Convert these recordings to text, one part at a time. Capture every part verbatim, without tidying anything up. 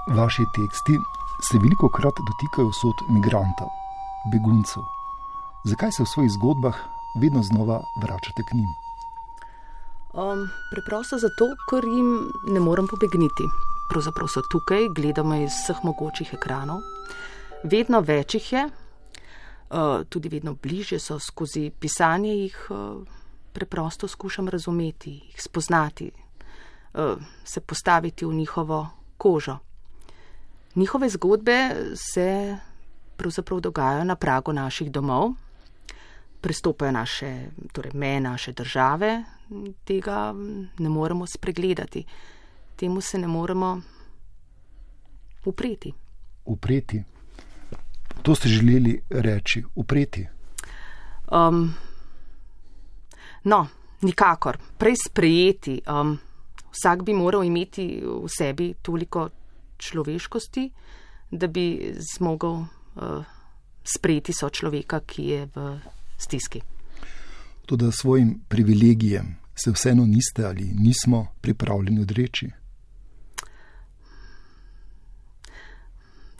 Vaši teksti se veliko krat dotikajo usod migrantov, beguncev. Zakaj se v svojih zgodbah vedno znova vračate k njim? Um, preprosto zato, ker jim ne morem pobegniti. Pravzaprav so tukaj, gledamo iz vseh mogočih ekranov. Vedno več jih je, uh, tudi vedno bližje so, skozi pisanje jih uh, preprosto skušam razumeti, jih spoznati, uh, se postaviti v njihovo kožo. Njihove zgodbe se pravzaprav dogajajo na pragu naših domov, prestopajo naše, torej meje naše države, tega ne moremo spregledati. Temu se ne moremo upreti. Upreti? To ste želeli reči, upreti? Um, no, nikakor. Prej sprejeti. Um, vsak bi moral imeti v sebi toliko človeškosti, da bi zmogel uh, sprejeti sočloveka, ki je v stiski. Toda svojim privilegijem se vseeno niste ali nismo pripravljeni odreči?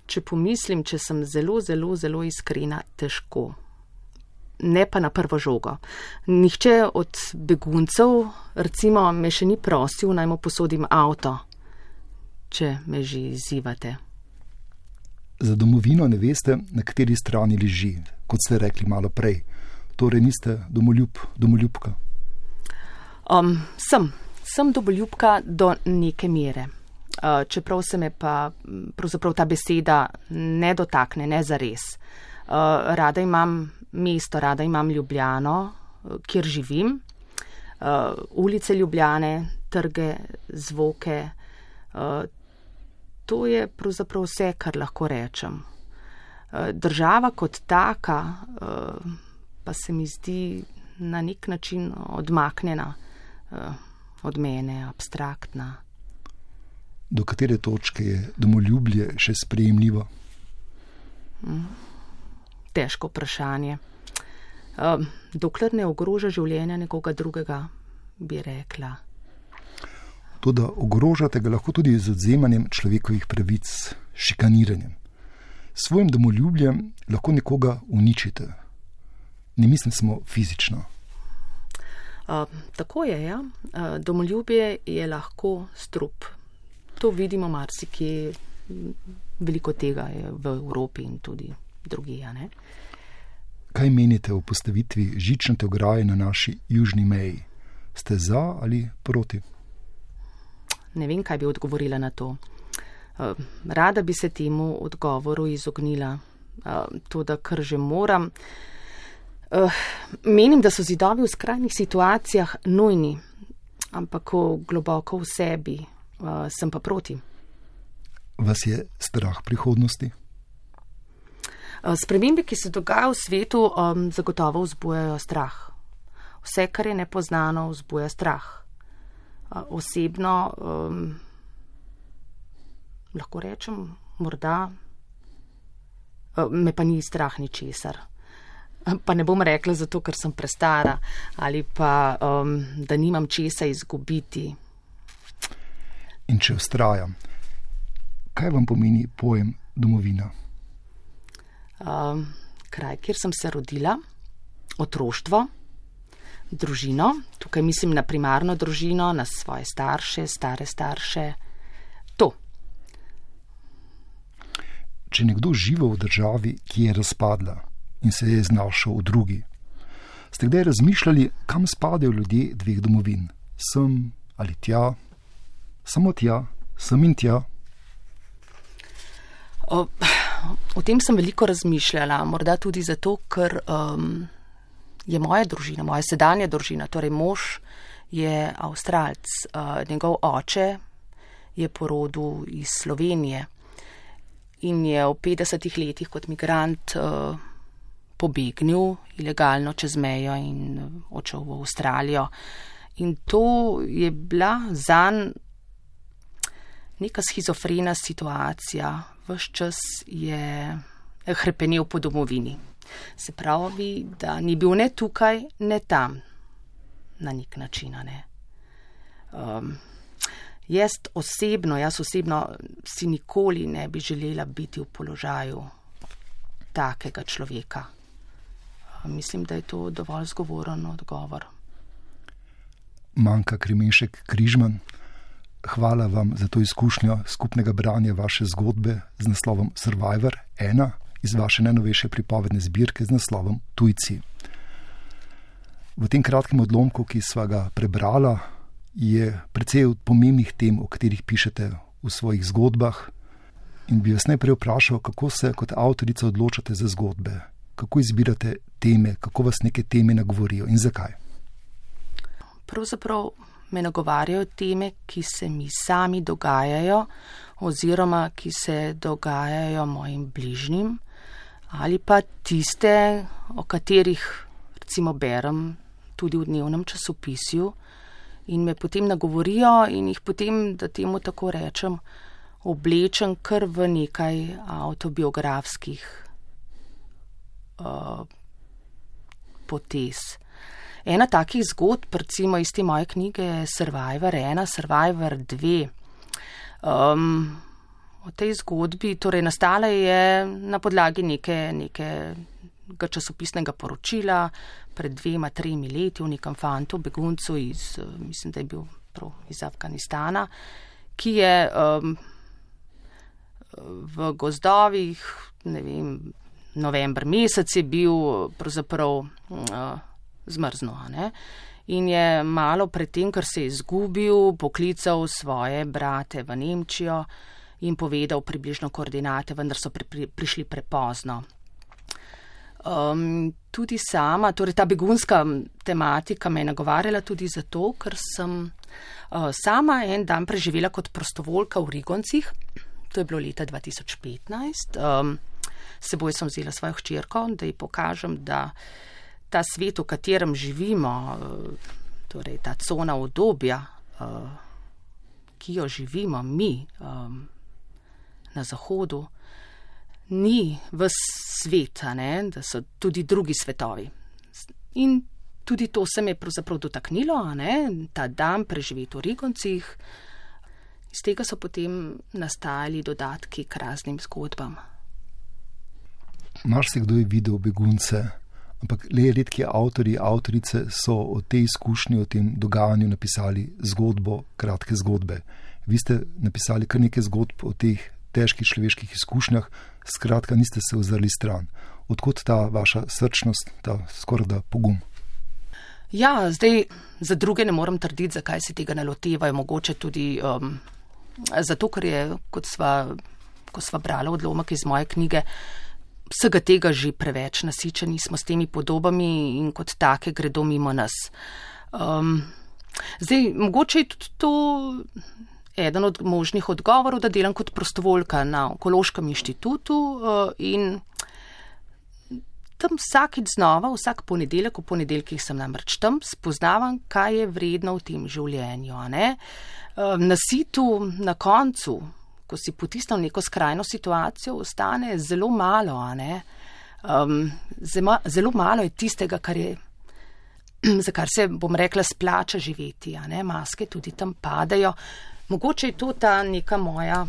Če pomislim, če sem zelo, zelo, zelo iskrena, težko. Ne pa na prvo žogo. Nihče od beguncev, recimo, me še ni prosil, naj mu posodim avto, če me že izzivate. Za domovino ne veste, na kateri strani leži, kot ste rekli malo prej. Torej niste domoljub, domoljubka? Um, sem. Sem domoljubka do neke mere. Uh, čeprav se me pa pravzaprav ta beseda ne dotakne, ne zares. Uh, rada imam mesto, rada imam Ljubljano, kjer živim. Uh, ulice Ljubljane, trge, zvoke. Uh, to je pravzaprav vse, kar lahko rečem. Uh, država kot taka uh, pa se mi zdi na nek način odmaknjena uh, od mene, abstraktna. Do katere točke je domoljubje še sprejemljivo? Mm, težko vprašanje. Uh, dokler ne ogroža življenja nekoga drugega, bi rekla. Toda ogrožate ga lahko tudi z odvzemanjem človekovih pravic, šikaniranjem. S svojim domoljubljem lahko nekoga uničite. Ne mislim samo fizično. Uh, tako je, ja. Uh, domoljubje je lahko strup. To vidimo marsikje, veliko tega je v Evropi in tudi drugje, ne? Kaj menite o postavitvi žičnate ograje na naši južni meji? Ste za ali proti? Ne vem, kaj bi odgovorila na to. Uh, rada bi se temu odgovoru izognila. Uh, to, da kar že moram. Uh, menim, da so zidovi v skrajnih situacijah nujni, ampak globoko v sebi uh, sem pa proti. Vas je strah prihodnosti? Uh, spremembe, ki se dogajajo v svetu, um, zagotovo vzbujajo strah. Vse, kar je nepoznano, vzbuja strah. Uh, osebno um, lahko rečem, morda uh, me pa ni strah ničesar. Pa ne bom rekla zato, ker sem prestara ali pa, um, da nimam česa izgubiti. In če vztrajam, kaj vam pomeni pojem domovina? Um, kraj, kjer sem se rodila, otroštvo, družino, tukaj mislim na primarno družino, na svoje starše, stare starše, to. Če nekdo živi v državi, ki je razpadla in se je znašel v drugi, ste kdaj razmišljali, kam spadajo ljudje dveh domovin? Sem ali tja? Samo tja? Sem in tja? O, o tem sem veliko razmišljala, morda tudi zato, ker um, je moja družina, moja sedanja družina, torej mož je Avstralec, uh, njegov oče je po rodu iz Slovenije in je v petdesetih letih kot migrant uh, pobegnil ilegalno čez mejo in odšel v Avstralijo. In to je bila zanj neka schizofrena situacija. Ves čas je hrepenel po domovini. Se pravi, da ni bil ne tukaj, ne tam, na nek način. Ne. Um, Jaz osebno, jaz osebno si nikoli ne bi želela biti v položaju takega človeka. Mislim, da je to dovolj zgovoren odgovor. Manka Kremenšek Križman, hvala vam za to izkušnjo skupnega branja vaše zgodbe z naslovom Survivor ena iz vaše najnovejše pripovedne zbirke z naslovom Tujci. V tem kratkem odlomku, ki sva ga prebrala, je precej pomembnih tem, o katerih pišete v svojih zgodbah, in bi vas najprej vprašal, kako se kot avtorica odločate za zgodbe, kako izbirate teme, kako vas neke teme nagovorijo in zakaj? Pravzaprav me nagovarjajo teme, ki se mi sami dogajajo oziroma ki se dogajajo mojim bližnjim ali pa tiste, o katerih recimo berem tudi v dnevnem časopisju in me potem nagovorijo in jih potem, da temu tako rečem, oblečem kar v nekaj avtobiografskih uh, potez. Ena takih zgodb, recimo iz te moje knjige je Survivor ena, Survivor dve. Um, o tej zgodbi, torej nastala je na podlagi neke, nekega časopisnega poročila pred dvema, tremi leti o nekem fantu, beguncu iz, mislim, da je bil prav iz Afganistana, ki je um, v gozdovih, ne vem, november mesec je bil pravzaprav uh, zmrzno, ne? In je malo pred tem, ker se je izgubil, poklical svoje brate v Nemčijo in povedal približno koordinate, vendar so pri, pri, prišli prepozno. Um, tudi sama, torej ta begunska tematika me je nagovarjala tudi zato, ker sem uh, sama en dan preživela kot prostovoljka v Rigoncih, to je bilo leta dva tisoč petnajst. Um, seboj sem vzela svojo hčerko, da ji pokažem, da ta svet, v katerem živimo, torej ta cona udobja, ki jo živimo mi na Zahodu, ni ves svet, ne? Da so tudi drugi svetovi. In tudi to se me je pravzaprav dotaknilo, ne? Ta dan preživeti v Rigoncih. Iz tega so potem nastajali dodatki k raznim zgodbam. Marsikdo je videl begunce, ampak le redki avtorji, avtorice so o tej izkušnji, o tem dogajanju napisali zgodbo, kratke zgodbe. Vi ste napisali kar nekaj zgodb o teh težkih človeških izkušnjah, skratka niste se ozrli stran. Odkot ta vaša srčnost, ta skoraj da pogum? Ja, zdaj za druge ne morem trditi, zakaj se tega ne lotevajo, mogoče tudi um, zato, ker je, kot sva, ko sva brala odlomek iz moje knjige, vsega tega že preveč nasičeni smo s temi podobami in kot take gredo mimo nas. Um, zdaj, mogoče je tudi to eden od možnih odgovorov, da delam kot prostovoljka na Onkološkem inštitutu uh, in tam vsakič znova, vsak ponedeljek, v ponedeljkih sem namreč tam, spoznavam, kaj je vredno v tem življenju. Ne? Um, na situ, na koncu, ko si potisnil neko skrajno situacijo, ostane zelo malo, a ne? Um, zelo, zelo malo je tistega, kar je, za kar se, bom rekla, splača živeti, a ne? Maske tudi tam padajo. Mogoče je to ta neka moja,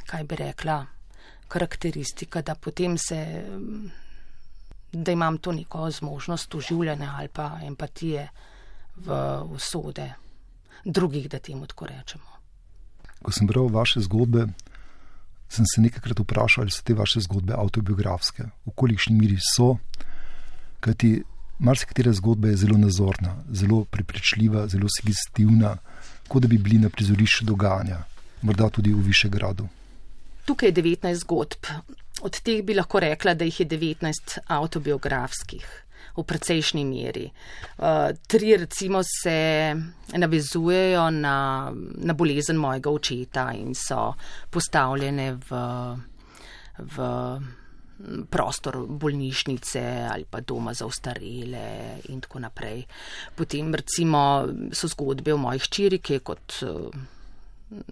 kaj bi rekla, karakteristika, da potem se, da imam to neko zmožnost oživljanja ali pa empatije v usode drugih, da temu tako rečemo. Ko sem bral vaše zgodbe, sem se nekajkrat vprašal, ali so te vaše zgodbe avtobiografske, v kolikšni miri so, kajti marsikatera zgodba je zelo nazorna, zelo prepričljiva, zelo sugestivna, kot da bi bili na prizorišču dogajanja, morda tudi v Višegradu. Tukaj je devetnajst zgodb. Od teh bi lahko rekla, da jih je devetnajst avtobiografskih. V precejšnji meri. Uh, tri recimo se navezujejo na, na bolezen mojega očeta in so postavljene v, v prostor bolnišnice ali pa doma za ostarele in tako naprej. Potem recimo so zgodbe o moji hčeri, ki je kot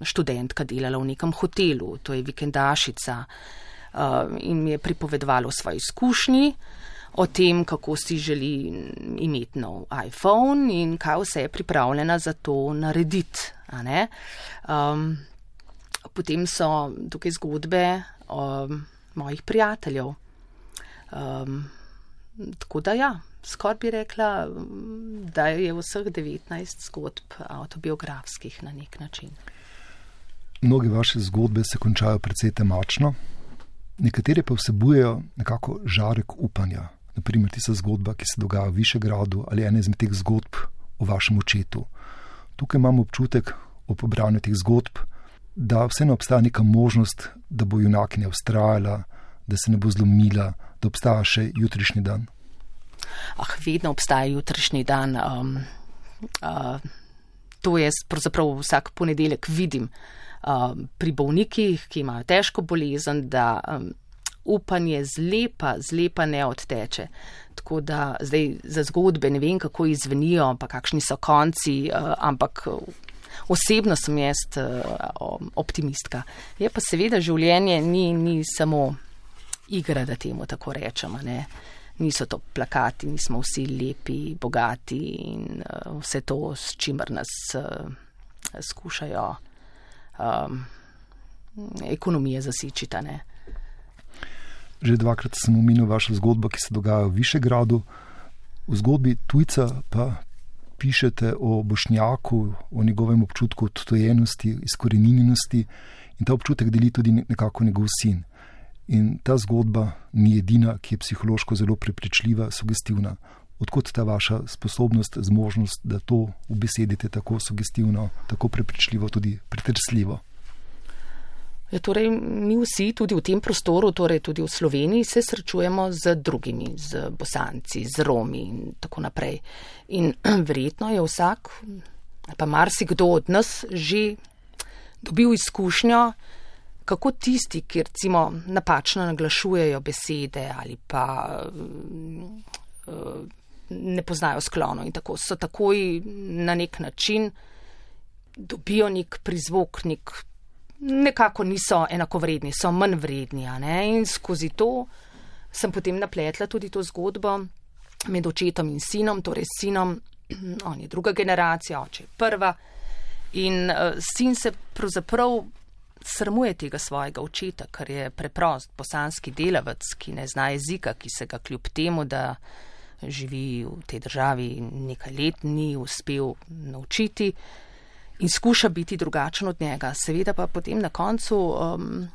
študentka delala v nekem hotelu, to je vikendašica, uh, in mi je pripovedovala o svoji izkušnji. o tem, kako si želi imeti nov iPhone in kaj vse je pripravljena za to narediti. A ne? Um, potem so tukaj zgodbe o mojih prijateljev. Um, tako da ja, skoraj bi rekla, da je vseh devetnajst zgodb avtobiografskih na nek način. Mnoge vaše zgodbe se končajo precej temačno, nekatere pa vsebujejo nekako žarek upanja. Naprimer, tista zgodba, ki se dogaja v Višegradu, ali ena izmed teh zgodb o vašem očetu. Tukaj imam občutek ob branju teh zgodb, da vseeno obstaja neka možnost, da bo junakinja vztrajala, da se ne bo zlomila, da obstaja še jutrišnji dan. Ah, vedno obstaja jutrišnji dan. Um, uh, to jaz pravzaprav vsak ponedeljek vidim uh, pri bolnikih, ki imajo težko bolezen, da um, upanje zlepa, zlepa ne odteče. Tako da zdaj za zgodbe ne vem, kako izvenijo, pa kakšni so konci, uh, ampak osebno sem jaz uh, optimistka. Je pa seveda življenje ni, ni samo igra, da temu tako rečemo, ne. Niso to plakati, nismo vsi lepi, bogati in uh, vse to, s čimer nas uh, skušajo um, ekonomije zasičita, ne. Že dvakrat sem omenil vašo zgodbo, ki se dogaja v Višegradu. V zgodbi tujca pa pišete o Bošnjaku, o njegovem občutku odtujenosti, izkoreninjenosti in ta občutek deli tudi nekako njegov sin. In ta zgodba ni edina, ki je psihološko zelo prepričljiva, sugestivna. Odkot ta vaša sposobnost, zmožnost, da to ubesedite tako sugestivno, tako prepričljivo, tudi pretresljivo? Ja, torej, mi vsi tudi v tem prostoru, torej tudi v Sloveniji, se srečujemo z drugimi, z Bosanci, z Romi in tako naprej. In verjetno je vsak, pa marsikdo od nas že dobil izkušnjo, kako tisti, ki recimo napačno naglašujejo besede ali pa uh, ne poznajo sklono in tako, so takoj na nek način dobijo nek prizvok, nek, nekako niso enakovredni, so manj vredni. A ne? In skozi to sem potem napletla tudi to zgodbo med očetom in sinom, torej sinom, on je druga generacija, oče je prva in uh, sin se pravzaprav sramuje tega svojega očeta, ker je preprost bosanski delavec, ki ne zna jezika, ki se ga kljub temu, da živi v tej državi nekaj let, ni uspel naučiti in skuša biti drugačen od njega. Seveda pa potem na koncu, um,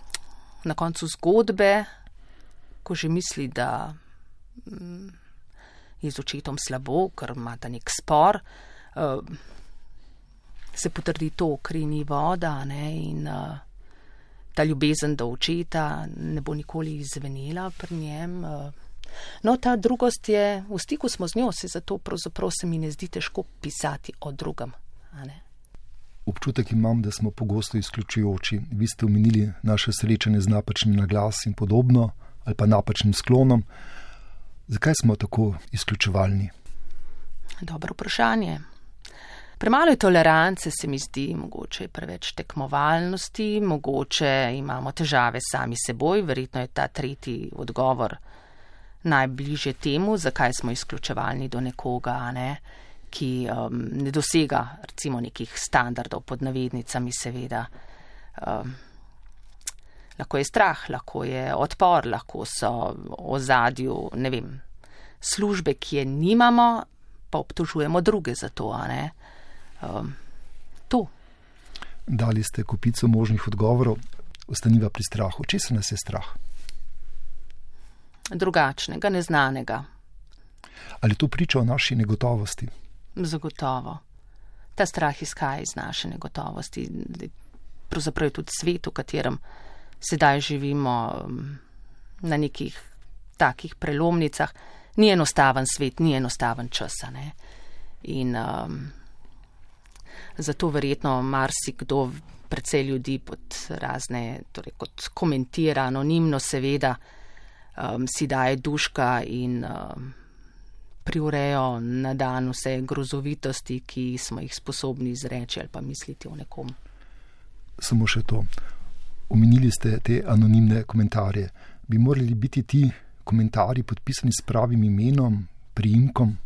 na koncu zgodbe, ko že misli, da um, je z očetom slabo, ker ima ta nek spor, um, se potrdi to, kri ni voda, ne, in uh, ta ljubezen do očeta ne bo nikoli izvenela pri njem. No, ta drugost je, v stiku smo z njo, se zato pravzaprav se mi ne zdi težko pisati o drugem. A ne? Občutek imam, da smo pogosto izključujoči. Vi ste omenili naše srečanje z napačnim naglas in podobno, ali pa napačnim sklonom. Zakaj smo tako izključevalni? Dobro vprašanje. Premalo je tolerance, se mi zdi, mogoče je preveč tekmovalnosti, mogoče imamo težave sami seboj, verjetno je ta tretji odgovor najbližje temu, zakaj smo izključevalni do nekoga, ne, ki um, ne dosega recimo nekih standardov pod navednicami, seveda. Um, lahko je strah, lahko je odpor, lahko so v ozadju, ne vem, službe, ki je nimamo, pa obtožujemo druge za to, a ne. Um, to. Dali ste kopico možnih odgovorov, ostaniva pri strahu. Česa nas je strah? Drugačnega, neznanega. Ali to priča o naši negotovosti? Zagotovo. Ta strah izhaja iz naše negotovosti. Pravzaprav je tudi svet, v katerem sedaj živimo, na nekih takih prelomnicah. Ni enostaven svet, ni enostaven čas, ne. In um, zato verjetno marsikdo, precej ljudi pod razne, torej kot komentira anonimno, seveda, um, si daje duška in um, priurejo na dan vse grozovitosti, ki smo jih sposobni izreči ali pa misliti o nekom. Samo še to. Omenili ste te anonimne komentarje. Bi morali biti ti komentarji podpisani s pravim imenom, priimkom?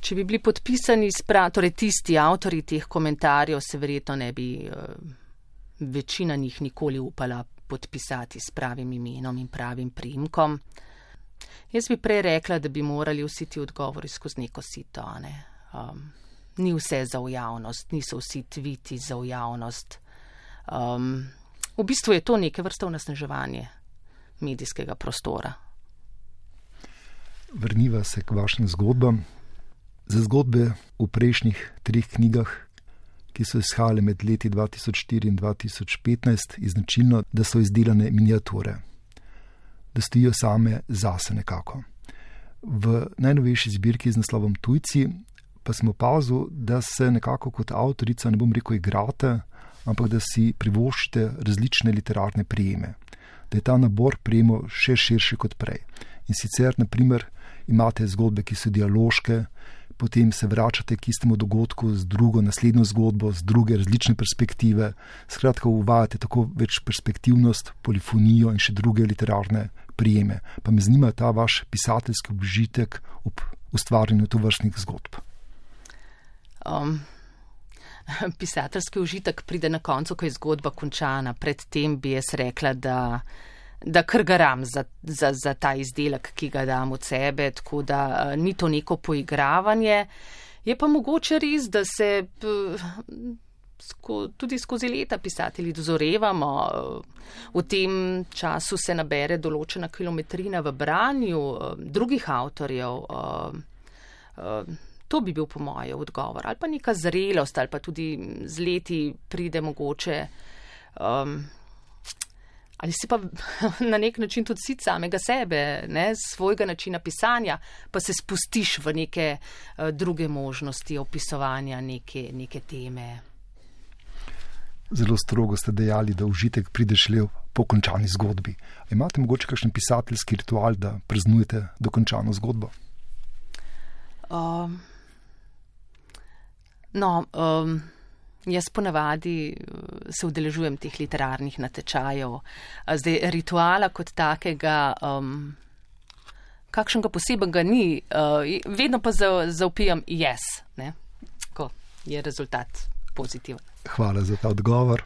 Če bi bili podpisani s prav, torej tisti avtorji teh komentarjev, se verjetno ne bi večina njih nikoli upala podpisati s pravim imenom in pravim priimkom. Jaz bi prej rekla, da bi morali vsi ti odgovori skozi neko sito, ne? Um, ni vse za v javnost, niso vsi tviti za v javnost. Um, v bistvu je to neke vrste onesnaževanje medijskega prostora. Vrniva se k vašim zgodbam. Za zgodbe v prejšnjih treh knjigah, ki so izhajale med leti dva tisoč štiri in dva tisoč petnajst, je značilno, da so izdelane miniature, da stojijo same zase nekako. V najnovejši zbirki z naslovom Tujci pa sem opazil, da se nekako kot avtorica, ne bom rekel igrate, ampak da si privoščite različne literarne prijeme. Da je ta nabor prijemov še širši kot prej. In sicer, na primer, imate zgodbe, ki so dialoške, potem se vračate k istemu dogodku z drugo, naslednjo zgodbo, z druge različne perspektive. Skratka, uvajate tako več perspektivnost, polifonijo in še druge literarne prijeme. Pa me zanima ta vaš pisateljski užitek ob ustvarjanju tovrstnih zgodb. Um, pisateljski užitek pride na koncu, ko je zgodba končana. Predtem bi jaz rekla, da da kar garam za, za, za ta izdelek, ki ga dam od sebe, tako da uh, ni to neko poigravanje. Je pa mogoče res, da se uh, sko, tudi skozi leta pisatelji dozorevamo. Uh, v tem času se nabere določena kilometrina v branju uh, drugih avtorjev. Uh, uh, to bi bil po moje odgovor. Ali pa neka zrelost, ali pa tudi z leti pride mogoče um, ali si pa na nek način tudi sit samega sebe, ne, svojega načina pisanja, pa se spustiš v neke uh, druge možnosti opisovanja neke, neke teme. Zelo strogo ste dejali, da užitek pride šele po končani zgodbi. A imate mogoče kakšen pisateljski ritual, da praznujete dokončano zgodbo? Um, no, um, Jaz ponavadi se udeležujem teh literarnih natečajev. Zdaj, rituala kot takega, um, kakšnega posebnega ni, uh, vedno pa zaupijam yes, ne? Ko je rezultat pozitiven. Hvala za ta odgovor.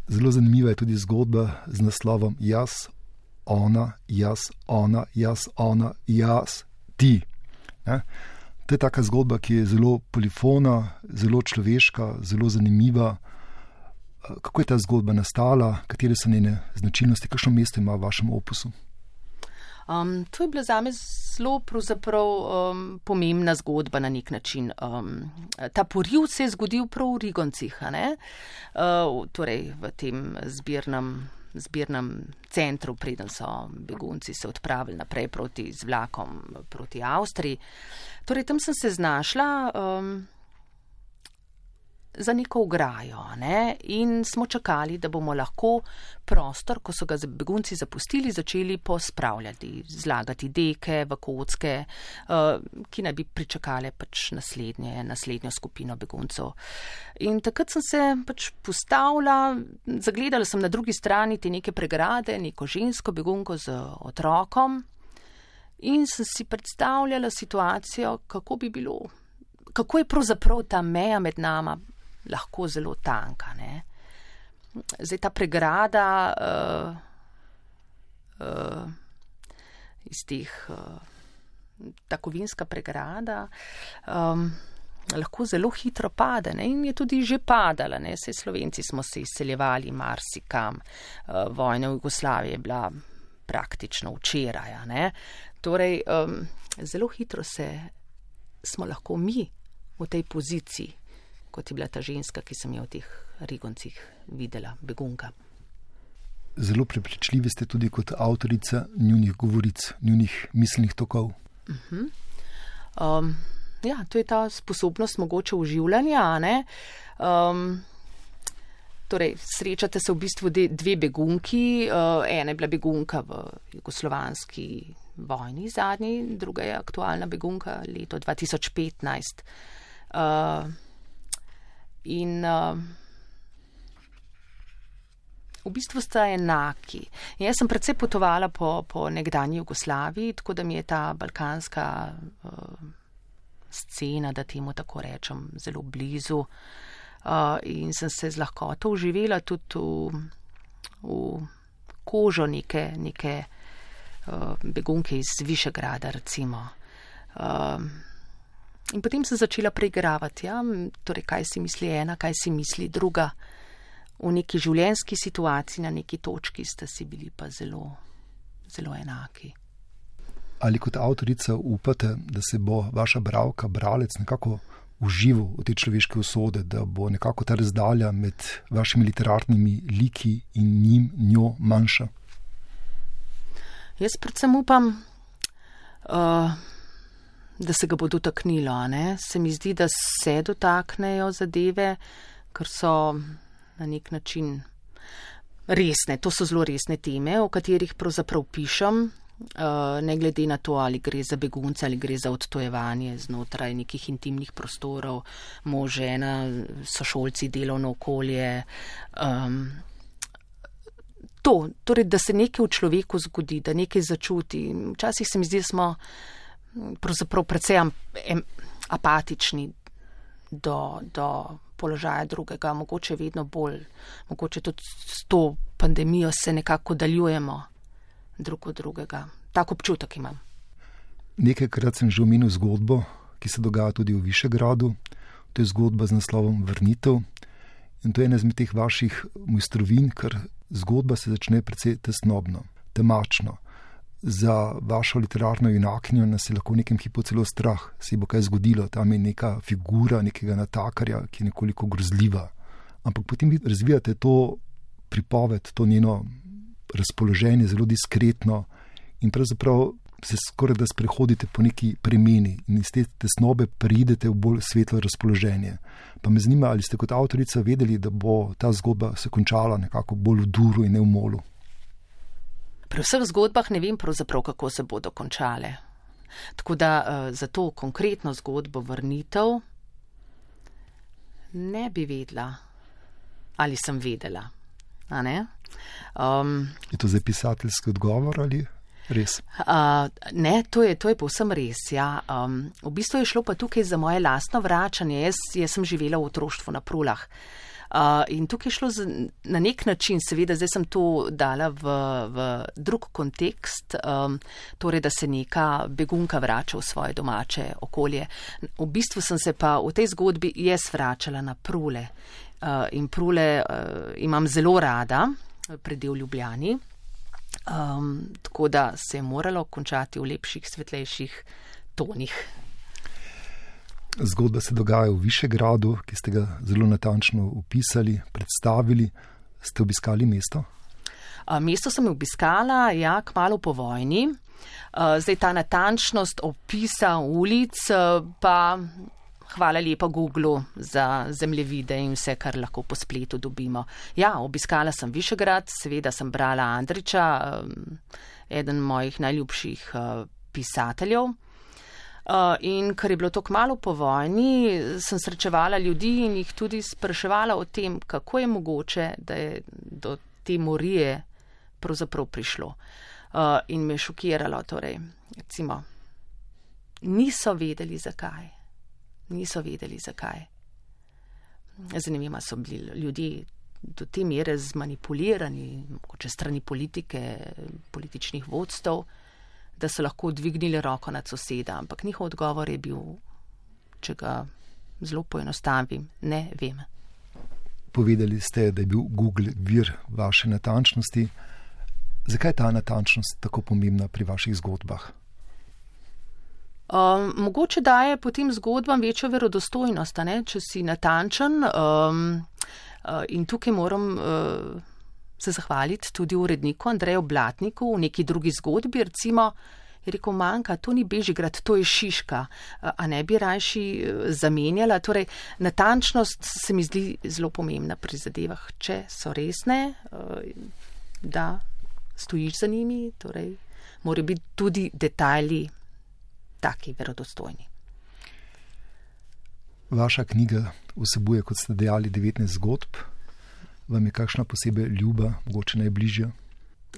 Zelo zanimiva je tudi zgodba z naslovom Jaz, ona, jaz, ona, jaz, ona, jaz, ti. Ne? To je taka zgodba, ki je zelo polifona, zelo človeška, zelo zanimiva. Kako je ta zgodba nastala, katere so njene značilnosti, kakšno mesto ima v vašem opusu? Um, to je bila zame zelo pravzaprav um, pomembna zgodba na nek način. Um, ta poriv se je zgodil prav v Rigoncih, a ne? Uh, torej v tem zbirnem zbirnem centru, preden so begunci se odpravili naprej proti z vlakom proti Avstriji. Torej, tam sem se znašla um, za neko ograjo, ne? In smo čakali, da bomo lahko prostor, ko so ga begunci zapustili, začeli pospravljati, zlagati deke v kocke, uh, ki naj bi pričakale pač naslednje, naslednjo skupino beguncev. In takrat sem se pač postavila, zagledala sem na drugi strani te neke pregrade, neko žensko begunko z otrokom in sem si predstavljala situacijo, kako bi bilo, kako je pravzaprav ta meja med nama lahko zelo tanka, ne. Zdaj ta pregrada uh, uh, iz teh, uh, ta kovinska pregrada um, lahko zelo hitro pade, ne, in je tudi že padala, ne, saj Slovenci smo se izseljevali marsikam, uh, vojna v Jugoslaviji je bila praktično včeraj, ne. Torej, um, zelo hitro se smo lahko mi v tej poziciji, kot je bila ta ženska, ki sem jo v teh Rigoncih videla, begunka. Zelo prepričljivi ste tudi kot avtorica njunih govoric, njunih miselnih tokov. Uh-huh. Um, ja, to je ta sposobnost mogoče oživljanja, ne? Um, torej, srečate se v bistvu dve begunki, uh, ena je bila begunka v jugoslovanski vojni zadnji, druga je aktualna begunka leto dva tisoč petnajst. Uh, In uh, v bistvu sta enaki. In jaz sem predvsej potovala po, po nekdanji Jugoslaviji, tako da mi je ta balkanska uh, scena, da temu tako rečem, zelo blizu. Uh, in sem se z lahkoto uživela tudi v, v kožo neke, neke uh, begunke iz Višegrada, recimo. Uh, in potem sem začela preigravati, ja, torej kaj si misli ena, kaj si misli druga. V neki življenjski situaciji, na neki točki sta si bili pa zelo, zelo enaki. Ali kot avtorica upate, da se bo vaša bralka, bralec nekako užival v te človeške usode, da bo nekako ta razdalja med vašimi literarnimi liki in njim, njo manjša? Jaz predvsem upam, uh, da se ga bo dotaknilo, ne? Se mi zdi, da se dotaknejo zadeve, ker so na nek način resne. To so zelo resne teme, o katerih pravzaprav pišem, ne glede na to, ali gre za begunce, ali gre za odtojevanje znotraj nekih intimnih prostorov, mož, žena, sošolci, delovno okolje. Um, to, torej, da se nekaj v človeku zgodi, da nekaj začuti. Včasih se mi zdi, da smo pravzaprav precej apatični do, do položaja drugega, mogoče vedno bolj, mogoče tudi s to pandemijo se nekako daljujemo drug od drugega. Tak občutek imam. Nekajkrat sem že omenil zgodbo, ki se dogaja tudi v Višegradu. To je zgodba z naslovom Vrnitev. In to je ena izmed teh vaših mojstrovin, ker zgodba se začne precej tesnobno, temačno. Za vašo literarno junakinjo nas je lahko v nekem hipu celo strah, se bo kaj zgodilo, tam je neka figura nekega natakarja, ki je nekoliko grozljiva. Ampak potem vi razvijate to pripoved, to njeno razpoloženje zelo diskretno in pravzaprav se skoraj da sprehodite po neki premeni in iz te tesnobe preidete v bolj svetlo razpoloženje. Pa me zanima, ali ste kot avtorica vedeli, da bo ta zgodba se končala nekako bolj v duru in ne v molu? Pri vseh zgodbah ne vem pravzaprav, kako se bodo končale. Tako da uh, za to konkretno zgodbo Vrnitev ne bi vedela, ali sem vedela. A ne? Um, je to zdaj pisateljski odgovor ali res? Uh, ne, to je, to je povsem res. Ja. Um, v bistvu je šlo pa tukaj za moje lastno vračanje. Jaz, jaz sem živela v otroštvu na Prulah. Uh, in tukaj je šlo z, na nek način, seveda zdaj sem to dala v, v drug kontekst, um, torej da se neka begunka vrača v svoje domače okolje. V bistvu sem se pa v tej zgodbi jaz vračala na Prule. Uh, in Prule uh, imam zelo rada, predel Ljubljani, um, tako da se je moralo končati v lepših, svetlejših tonih. Zgodba se dogaja v Višegradu, ki ste ga zelo natančno opisali, predstavili. Ste obiskali mesto? Mesto sem obiskala, ja, kmalu po vojni. Zdaj ta natančnost opisa ulic, pa hvala lepa Googlu za zemljevide in vse, kar lahko po spletu dobimo. Ja, obiskala sem Višegrad, seveda sem brala Andrića, eden mojih najljubših pisateljev. Uh, in ker je bilo to kmalu po vojni, sem srečevala ljudi in jih tudi spraševala o tem, kako je mogoče, da je do te morije pravzaprav prišlo. Uh, in me je šokiralo, torej, recimo, niso vedeli zakaj. Niso vedeli zakaj. Zanimivo so bili ljudje do te mere zmanipulirani, mogoče strani politike, političnih vodstev, da so lahko dvignili roko nad soseda, ampak njihov odgovor je bil, če ga zelo poenostavim, ne vem. Povedali ste, da je bil Google vir vaše natančnosti. Zakaj je ta natančnost tako pomembna pri vaših zgodbah? Um, mogoče daje potem zgodbam večjo verodostojnost, ne? Če si natančen. Um, uh, in tukaj moram uh, se zahvaliti tudi uredniku Andreju Blatniku v neki drugi zgodbi, recimo, je rekel, manjka, to ni Bežigrad, to je Šiška, a ne bi rajši zamenjala. Torej, natančnost se mi zdi zelo pomembna pri zadevah, če so resne, da stojiš za njimi, torej, morajo biti tudi detajli taki verodostojni. Vaša knjiga vsebuje, kot ste dejali, devetnajst zgodb. Vam je kakšna posebej ljuba, mogoče najbližja?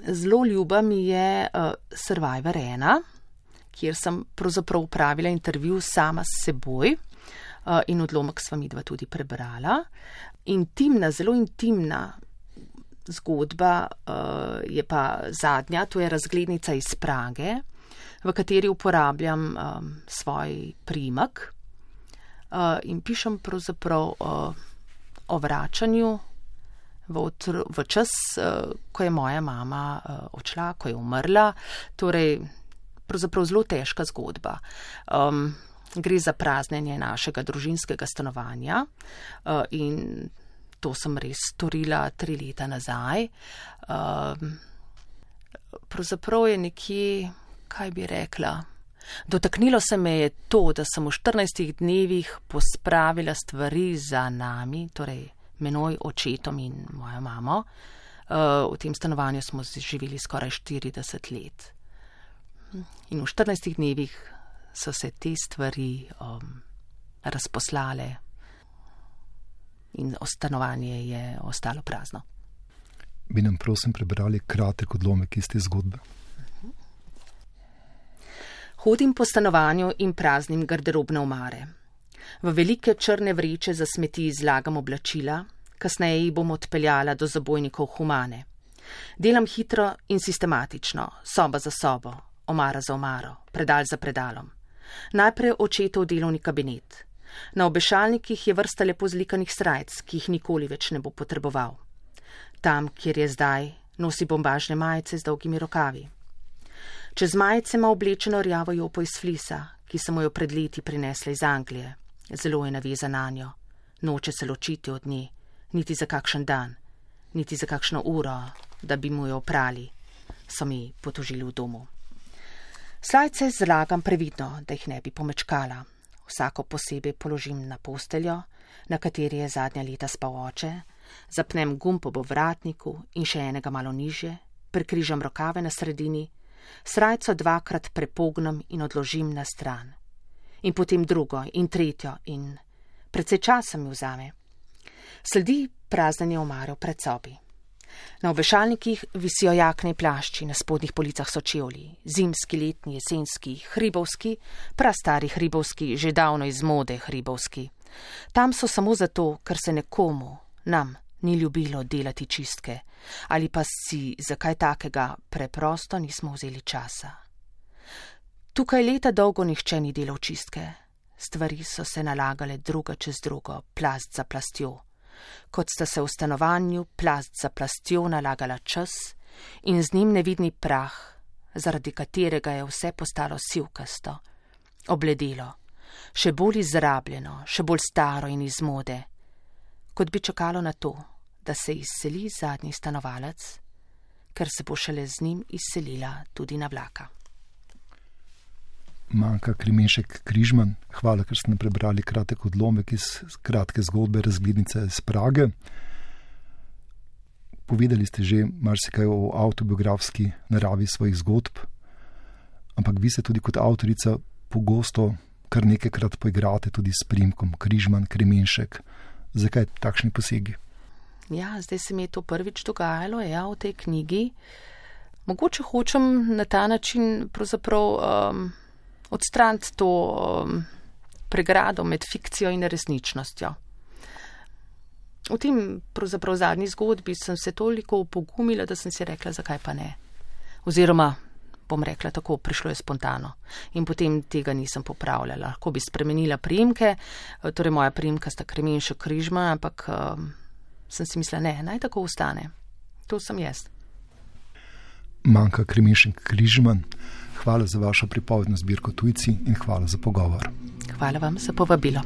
Zelo ljuba mi je uh, Survivor ena, kjer sem pravzaprav upravila intervju sama s seboj uh, in odlomek sva midva tudi prebrala. Intimna, zelo intimna zgodba uh, je pa zadnja, to je razglednica iz Prage, v kateri uporabljam um, svoj priimek uh, in pišem pravzaprav uh, o vračanju v, otr- v čas, uh, ko je moja mama uh, odšla, ko je umrla. Torej, pravzaprav zelo težka zgodba. Um, gre za praznjenje našega družinskega stanovanja uh, in to sem res storila tri leta nazaj. Um, pravzaprav je nekje, kaj bi rekla, dotaknilo se me je to, da sem v štirinajstih dnevih pospravila stvari za nami, torej menoj, očetom in mojo mamo. Uh, v tem stanovanju smo živeli skoraj štirideset let. In v štirinajstih dnevih so se te stvari um, razposlale in stanovanje je ostalo prazno. Bi nam prosim prebrali kratek odlomek iz te zgodbe? Hodim po stanovanju in praznim garderobne omare. V velike črne vreče za smeti izlagam oblačila, kasneje jih bom odpeljala do zabojnikov Humane. Delam hitro in sistematično, soba za sobo, omara za omaro, predal za predalom. Najprej očetov delovni kabinet. Na obešalnikih je vrsta lepo zlikanih srajc, ki jih nikoli več ne bo potreboval. Tam, kjer je zdaj, nosi bombažne majice z dolgimi rokavi. Čez majice ima oblečeno rjavo jopo iz flisa, ki sem mu jo pred leti prinesla iz Anglije. Zelo je navezan nanjo. Noče se ločiti od nje, niti za kakšen dan, niti za kakšno uro, da bi mu jo oprali, so mi potožili v domu. Slajce zlagam previdno, da jih ne bi pomečkala. Vsako posebej položim na posteljo, na kateri je zadnja leta spal oče, zapnem gumb ob vratniku in še enega malo nižje, prekrižam rokave na sredini, srajco dvakrat prepognem in odložim na stran. In potem drugo in tretjo in precej časa mi vzame. Sledi praznjenje omare v predsobi. Na obešalnikih visijo jakne plašči, na spodnjih policah so čevlji, zimski, letni, jesenski, hribovski, prastari hribovski, že davno iz mode hribovski. Tam so samo zato, ker se nekomu, nam, ni ljubilo delati čistke, ali pa si za kaj takega preprosto nismo vzeli časa. Tukaj leta dolgo nihče ni delal čistke. Stvari so se nalagale druga čez drugo, plast za plastjo. Kot sta se v stanovanju plast za plastjo nalagala čas in z njim nevidni prah, zaradi katerega je vse postalo sivkasto, obledelo, še bolj izrabljeno, še bolj staro in iz mode, kot bi čakalo na to, da se izseli zadnji stanovalec, ker se bo šele z njim izselila tudi na vlaka. Manka Kremenšek Križman, hvala, ker ste nam prebrali kratek odlomek iz kratke zgodbe Razglednica iz Prage. Povedali ste že marsikaj o avtobiografski naravi svojih zgodb, ampak vi se tudi kot avtorica pogosto kar nekajkrat poigrate tudi s priimkom Križman, Kremenšek. Zakaj takšni posegi? Ja, zdaj se mi je to prvič dogajalo, ja, v tej knjigi. Mogoče hočem na ta način pravzaprav um, odstraniti to um, pregrado med fikcijo in resničnostjo. V tem pravzaprav zadnji zgodbi sem se toliko upogumila, da sem si rekla, zakaj pa ne. Oziroma, bom rekla tako, prišlo je spontano. In potem tega nisem popravljala. Lahko bi spremenila priimke, torej moja priimka sta Kremenšek Križman, ampak um, sem si mislila, ne, naj tako ostane. To sem jaz. Manka Kremenšek Križman, hvala za vašo pripovedno zbirko Tujci in hvala za pogovor. Hvala vam za povabilo.